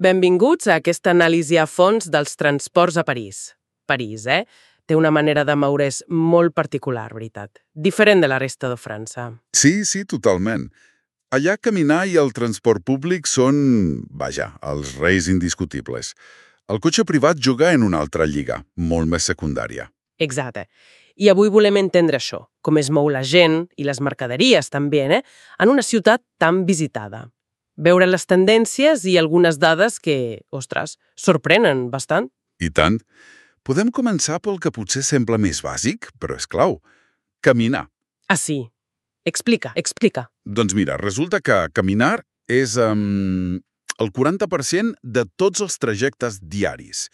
Benvinguts a aquesta anàlisi a fons dels transports a París. París, té una manera de moure's molt particular, veritat. Diferent de la resta de França. Sí, totalment. Allà caminar i el transport públic són, vaja, els reis indiscutibles. El cotxe privat juga en una altra lliga, molt més secundària. Exacte. I avui volem entendre això, com es mou la gent i les mercaderies també, en una ciutat tan visitada. Veure les tendències i algunes dades que, ostres, sorprenen bastant. I tant. Podem començar pel que potser sembla més bàsic, però és clau. Caminar. Ah, sí. Explica. Doncs mira, resulta que caminar és el 40% de tots els trajectes diaris.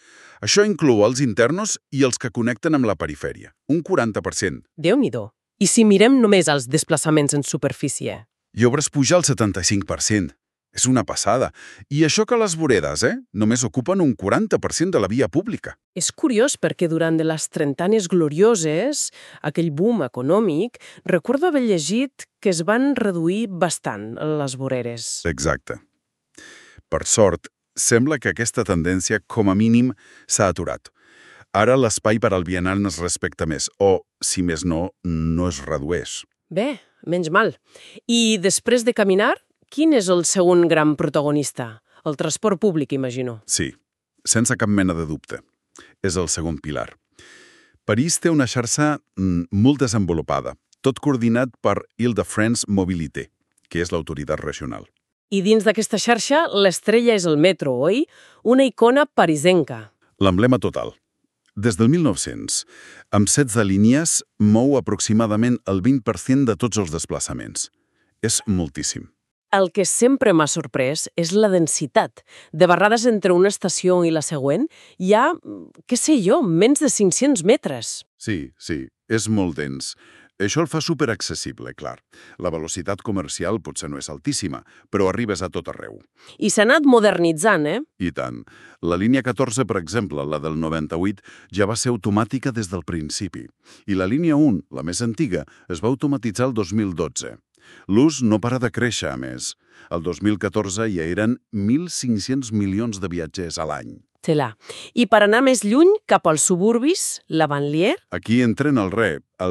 Això inclou els internos i els que connecten amb la perifèria. Un 40%. Déu-n'hi-do. I si mirem només els desplaçaments en superfície? I obres puja al 75%. És una passada. I això que les voredes, només ocupen un 40% de la via pública. És curiós perquè durant de les trentanes glorioses, aquell boom econòmic, recordo haver llegit que es van reduir bastant les voreres. Exacte. Per sort, sembla que aquesta tendència, com a mínim, s'ha aturat. Ara l'espai per al vianant es respecta més, o, si més no, no es redueix. Bé, menys mal. I després de caminar, quin és el segon gran protagonista? El transport públic, imagino. Sí, sense cap mena de dubte. És el segon pilar. París té una xarxa molt desenvolupada, tot coordinat per Île-de-France Mobilité, que és l'autoritat regional. I dins d'aquesta xarxa, l'estrella és el metro, oi? Una icona parisenca. L'emblema total. Des del 1900, amb 16 línies, mou aproximadament el 20% de tots els desplaçaments. És moltíssim. El que sempre m'ha sorprès és la densitat. De vegades entre una estació i la següent hi ha, què sé jo, menys de 500 metres. Sí, és molt dens. Això el fa superaccessible, clar. La velocitat comercial potser no és altíssima, però arribes a tot arreu. I s'ha anat modernitzant, I tant. La línia 14, per exemple, la del 98, ja va ser automàtica des del principi. I la línia 1, la més antiga, es va automatitzar el 2012. L'ús no para de créixer, a més. El 2014 ja eren 1.500 milions de viatgers a l'any. Tela. I per anar més lluny, cap als suburbis, la banlieue? Aquí entren el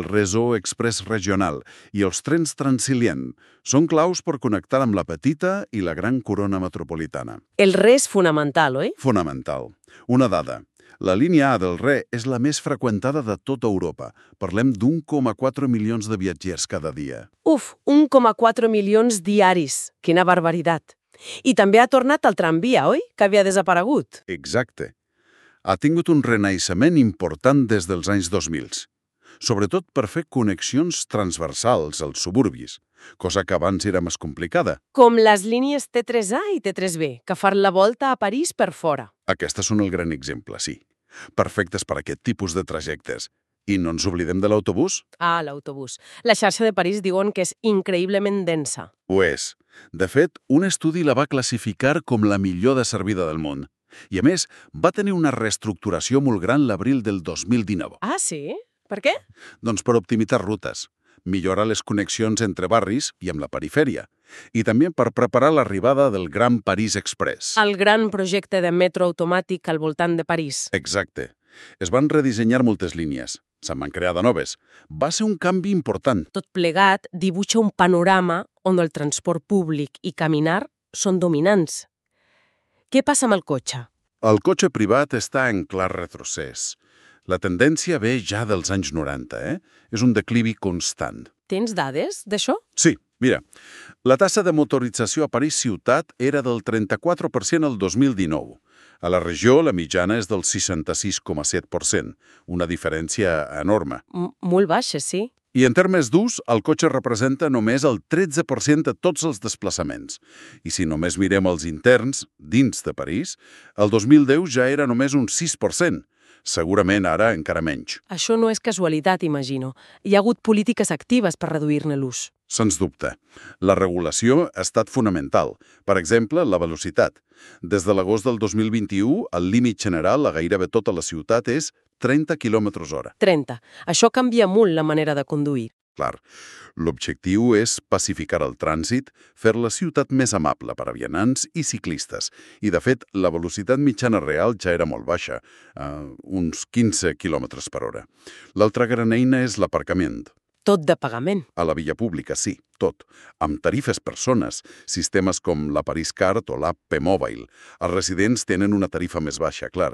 Réseau Express Regional i els trens Transilien. Són claus per connectar amb la petita i la gran corona metropolitana. El RE és fonamental, oi? Fonamental. Una dada. La línia A del RE és la més freqüentada de tota Europa. Parlem d'1,4 milions de viatgers cada dia. 1,4 milions diaris. Quina barbaritat. I també ha tornat el tramvia, oi? Que havia desaparegut. Exacte. Ha tingut un renaixement important des dels anys 2000, sobretot per fer connexions transversals als suburbis, cosa que abans era més complicada. Com les línies T3A i T3B, que fan la volta a París per fora. Aquestes són el gran exemple, sí. Perfectes per a aquest tipus de trajectes. I no ens oblidem de l'autobús? Ah, l'autobús. La xarxa de París diuen que és increïblement densa. Ho és. De fet, un estudi la va classificar com la millor de servida del món. I, a més, va tenir una reestructuració molt gran l'abril del 2019. Ah, sí? Per què? Doncs per optimitzar rutes, millorar les connexions entre barris i amb la perifèria, i també per preparar l'arribada del Gran París Express. El gran projecte de metro automàtic al voltant de París. Exacte. Es van redissenyar moltes línies. Se'n van crear de noves. Va ser un canvi important. Tot plegat dibuixa un panorama on el transport públic i caminar són dominants. Què passa amb el cotxe? El cotxe privat està en clar retrocés. La tendència ve ja dels anys 90, És un declivi constant. Tens dades d'això? Sí, mira, la tassa de motorització a París ciutat era del 34% el 2019. A la regió, la mitjana és del 66,7%, una diferència enorme. Molt baixa, sí. I en termes d'ús, el cotxe representa només el 13% de tots els desplaçaments. I si només mirem els interns, dins de París, el 2010 ja era només un 6%. Segurament ara encara menys. Això no és casualitat, imagino. Hi ha hagut polítiques actives per reduir-ne l'ús. Sens dubte. La regulació ha estat fonamental. Per exemple, la velocitat. Des de l'agost del 2021, el límit general a gairebé tota la ciutat és 30 km/h. 30. Això canvia molt la manera de conduir. Clar, l'objectiu és pacificar el trànsit, fer la ciutat més amable per a vianants i ciclistes. I, de fet, la velocitat mitjana real ja era molt baixa, uns 15 km per hora. L'altra gran eina és l'aparcament. Tot de pagament. A la via pública, sí, tot. Amb tarifes per zones, sistemes com la Paris Card o l'app P-Mobile. Els residents tenen una tarifa més baixa, clar.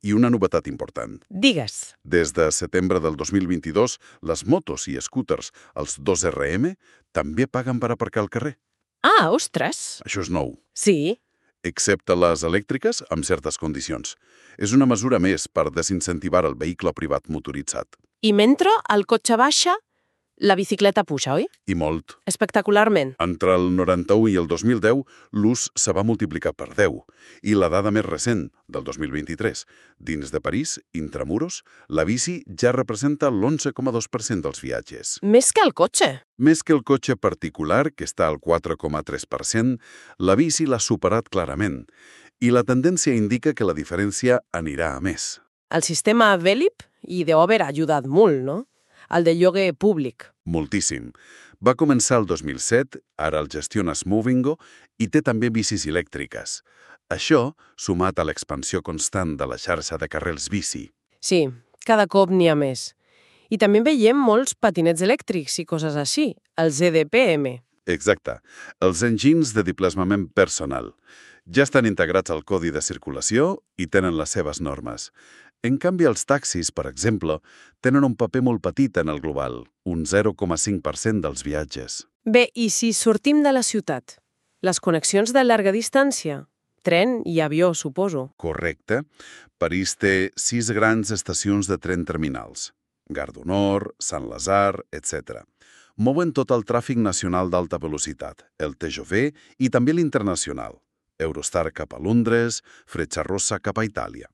I una novetat important. Digues. Des de setembre del 2022, les motos i scooters, els 2RM, també paguen per aparcar al carrer. Ah, ostres! Això és nou. Sí. Excepte les elèctriques, amb certes condicions. És una mesura més per desincentivar el vehicle privat motoritzat. I mentre el cotxe baixa, la bicicleta puja, oi? I molt. Espectacularment. Entre el 91 i el 2010, l'ús se va multiplicar per 10. I la dada més recent, del 2023, dins de París, intramuros, la bici ja representa l'11,2% dels viatges. Més que el cotxe. Més que el cotxe particular, que està al 4,3%, la bici l'ha superat clarament. I la tendència indica que la diferència anirà a més. El sistema Velib i d'Uber ha ajudat molt, no? El de lloguer públic. Moltíssim. Va començar el 2007, ara el gestiona Smovingo i té també bicis elèctriques. Això, sumat a l'expansió constant de la xarxa de carrils bici. Sí, cada cop n'hi ha més. I també veiem molts patinets elèctrics i coses així, els EDPM. Exacte. Els engines de desplaçament personal. Ja estan integrats al codi de circulació i tenen les seves normes. En canvi, els taxis, per exemple, tenen un paper molt petit en el global, un 0,5% dels viatges. Bé, i si sortim de la ciutat? Les connexions de llarga distància? Tren i avió, suposo. Correcte. París té 6 grans estacions de tren terminals. Gare du Nord, Saint-Lazare, etc. Mouen tot el tràfic nacional d'alta velocitat, el TGV i també l'internacional. Eurostar cap a Londres, Frecciarossa cap a Itàlia.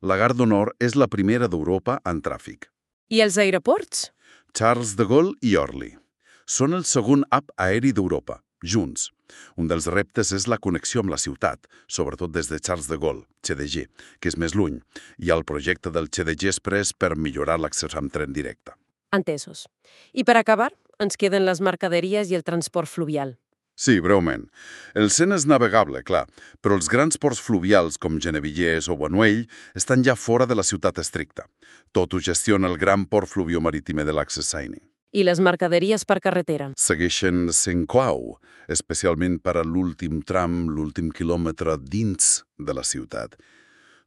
La Gare du Nord és la primera d'Europa en tràfic. I els aeroports? Charles de Gaulle i Orly. Són el segon hub aeri d'Europa, junts. Un dels reptes és la connexió amb la ciutat, sobretot des de Charles de Gaulle, CDG, que és més lluny, i el projecte del CDG Express per millorar l'accés amb tren directe. Entesos. I per acabar, ens queden les mercaderies i el transport fluvial. Sí, breument. El Sena és navegable, clar, però els grans ports fluvials com Genevillers o Bonuell estan ja fora de la ciutat estricta. Tot ho gestiona el gran port fluviomarítim de l'Access Seine. I les mercaderies per carretera? Segueixen sent clau, especialment per a l'últim tram, l'últim quilòmetre dins de la ciutat.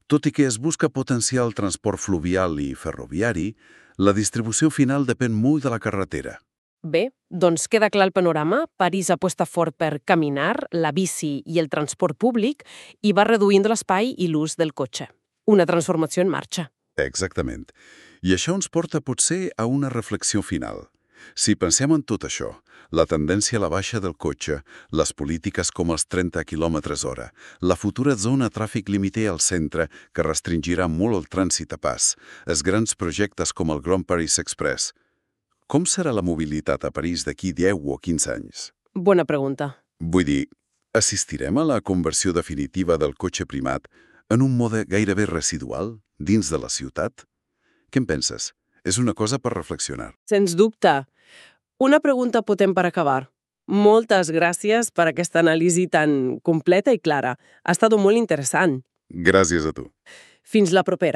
Tot i que es busca potenciar el transport fluvial i ferroviari, la distribució final depèn molt de la carretera. Bé, doncs queda clar el panorama. París aposta fort per caminar, la bici i el transport públic i va reduint l'espai i l'ús del cotxe. Una transformació en marxa. Exactament. I això ens porta potser a una reflexió final. Si pensem en tot això, la tendència a la baixa del cotxe, les polítiques com els 30 km/h, la futura zona tràfic limiter al centre que restringirà molt el trànsit a pas, els grans projectes com el Grand Paris Express. Com serà la mobilitat a París d'aquí 10 o 15 anys? Bona pregunta. Vull dir, assistirem a la conversió definitiva del cotxe primat en un mode gairebé residual dins de la ciutat? Què en penses? És una cosa per reflexionar. Sens dubte. Una pregunta potent per acabar. Moltes gràcies per aquesta anàlisi tan completa i clara. Ha estat molt interessant. Gràcies a tu. Fins la propera.